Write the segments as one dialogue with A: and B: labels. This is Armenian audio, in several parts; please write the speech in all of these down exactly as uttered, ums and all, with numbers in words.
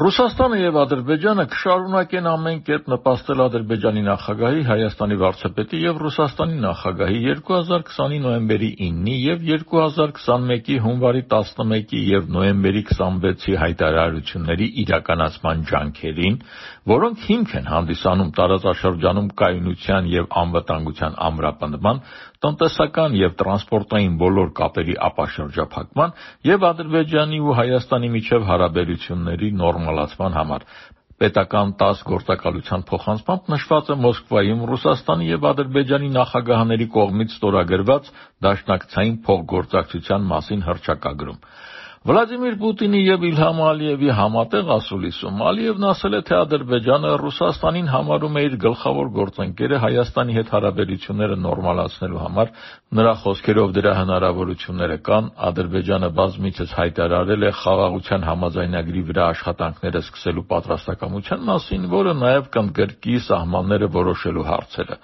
A: Ռուսաստանը եւ Ադրբեջանը կշարունակեն ամեն կերպ նպաստել Ադրբեջանի նախագահի, Հայաստանի վարչապետի եւ Ռուսաստանի նախագահի երկու հազար քսանի նոյեմբերի իննի եւ երկու հազար քսանմեկի հունվարի տասնմեկի եւ նոյեմբերի քսանվեցի հայտարարությունների իրականացման ջանքերին, որոնք հիմք են հանդիսանում տարածաշրջանում կայունության եւ անվտանգության ամրապնդման, տնտեսական եւ տրանսպորտային բոլոր կապերի ապաշրջափակման եւ Ադրբեջանի ու Հայաստանի միջև հարաբերությունների նորմալացման համար։ Պետական տաս գործակալության փոխանցմամբ նշված է Մոսկվայում Ռուսաստանի եւ Ադրբեջանի նախագահների կողմից ստորագրված դաշնակցային փոխգործակցության մասին հռչակագրում։ Վլադիմիր Պուտինի եւ Իլհամ Ալիևի համատեղ ասուլիսում Ալիևն ասել է, թե Ադրբեջանը Ռուսաստանին համարում է իր գլխավոր գործընկերը Հայաստանի հետ հարաբերությունները նորմալացնելու համար, նրա խոսքերով դրա հնարավորությունները կան, Ադրբեջանը բազմիցս հայտարարել է խաղաղության համաձայնագրի վրա աշխատանքները սկսելու պատրաստակամության մասին, որը նաեւ կընդգրկի սահմանները որոշելու հարցերը։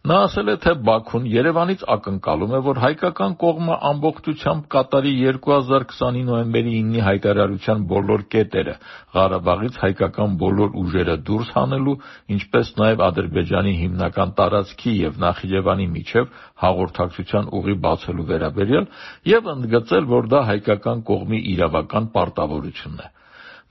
A: Նա ասել է, թե Բաքուն Երևանից ակնկալում է, որ հայկական կողմը ամբողջությամբ կատարի երկու հազար քսանի նոյեմբերի իննի հայտարարության բոլոր կետերը, Ղարաբաղից հայկական բոլոր ուժերը դուրս հանելու, ինչպես նաև Ադրբեջանի հիմնական տարածքի եւ Նախիջևանի միջև հաղորդակցության ուղի բացելու վերաբերյալ եւ ընդգծել, որ դա հայկական կողմի իրավական պարտավորությունն է։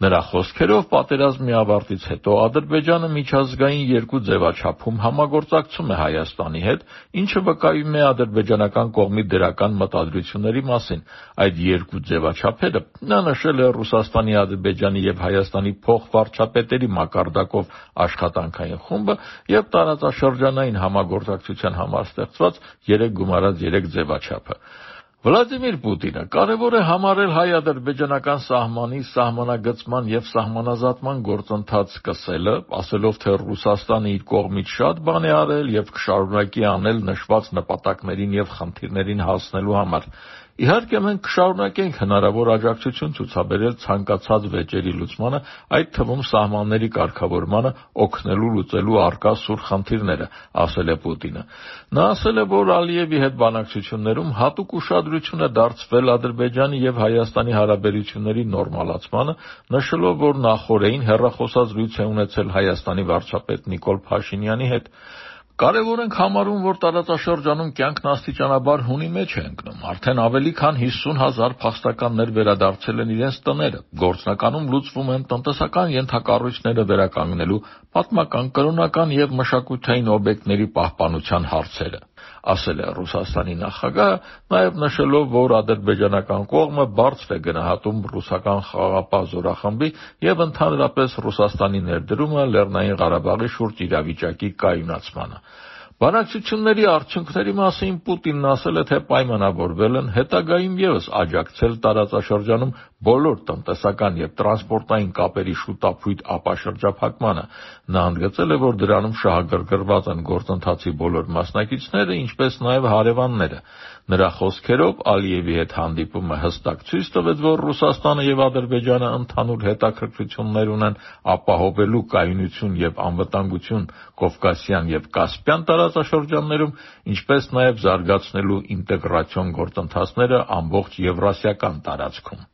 A: Նրա խոսքերով պատերազմի ավարտից հետո Ադրբեջանը միջազգային երկու ձևաչափում համագործակցում է Հայաստանի հետ, ինչը վկայում է ադրբեջանական կողմի դրական մտադրությունների մասին։ Այդ երկու ձևաչափերը նա նշել է Ռուսաստանի, Ադրբեջանի եւ Հայաստանի փոխվարչապետերի մակարդակով աշխատանքային խումբը եւ տարածաշրջանային համագործակցության համար ստեղծված երեք գումարած երեք ձևաչափը։ Վլադիմիր Պուտինը կարևոր է համարել հայ-ադրբեջանական սահմանի սահմանագծման եւ սահմանազատման գործընթաց սկսելը, ասելով, թե Ռուսաստանը իր կողմից շատ բան է արել եւ կշարունակի անել նշված նպատակներին եւ խնդիրներին հասնելու համար։ Իհարկե մենք կշարունակենք հնարավոր աջակցություն ցուցաբերել ցանկացած վեճերի լուծմանը, այդ թվում սահմանների կարգավորմանը, օգնելու լուծելու առկա սուր խնդիրները, ասել է Պուտինը։ Նա ասել է, որ Ալիևի հետ բանակցություններում հատուկ ուշադրություն է դարձվել Ադրբեջանի եւ Հայաստանի հարաբերությունների նորմալացմանը, նշելով, որ նախօրեին հեռախոսազրույց է ունեցել Հայաստանի վարչապետ Նիկոլ Փաշինյանի հետ։ Կարևոր ենք համարում, որ տարածաշրջանում կյանքն աստիճանաբար հունի մեջ է ընկնում։ Արդեն ավելի քան հիսուն հազար փախստականներ վերադարձել են իրենց տները։ Գործնականում լուծվում են տնտեսական ենթակառույցները վերականգնելու, պատմական, կրոնական եւ մշակութային օբյեկտների պահպանության հարցերը, ասել է Ռուսաստանի նախագահը, նաեւ նշելով, որ ադրբեջանական կողմը բարձր է գնահատում ռուսական խաղաղապահ զորախմբի եւ ընդհանրապես Ռուսաստանի ներդրումը Լեռնային Ղարաբաղի շուրջ իրավիճակի կայունացմանը։ Բանակցությունների արդյունքների մասին Պուտինն ասել է, թե պայմանավորվել են հետագայում եւս աջակցել տարածաշրջանում բոլոր տնտեսական եւ տրանսպորտային կապերի շուտափույթ ապաշրջափակմանը։ Նա ընդգծել է, որ դրանում շահագրգռված են գործընթացի բոլոր մասնակիցները, ինչպես նաեւ հարևանները։ Նրա խոսքերով Ալիևի հետ հանդիպումը հստակ ցույց տվեց, որ Ռուսաստանը եւ Ադրբեջանը ընդհանուր հետաքրքրություններ ունեն ապահովելու կայունություն եւ անվտանգություն Կովկասյան եւ Կասպյան տարածաշրջաններում, ինչպես նաեւ զարգացնելու ինտեգրացիոն գործընթացները ամբողջ Եվրասիական տարածքում։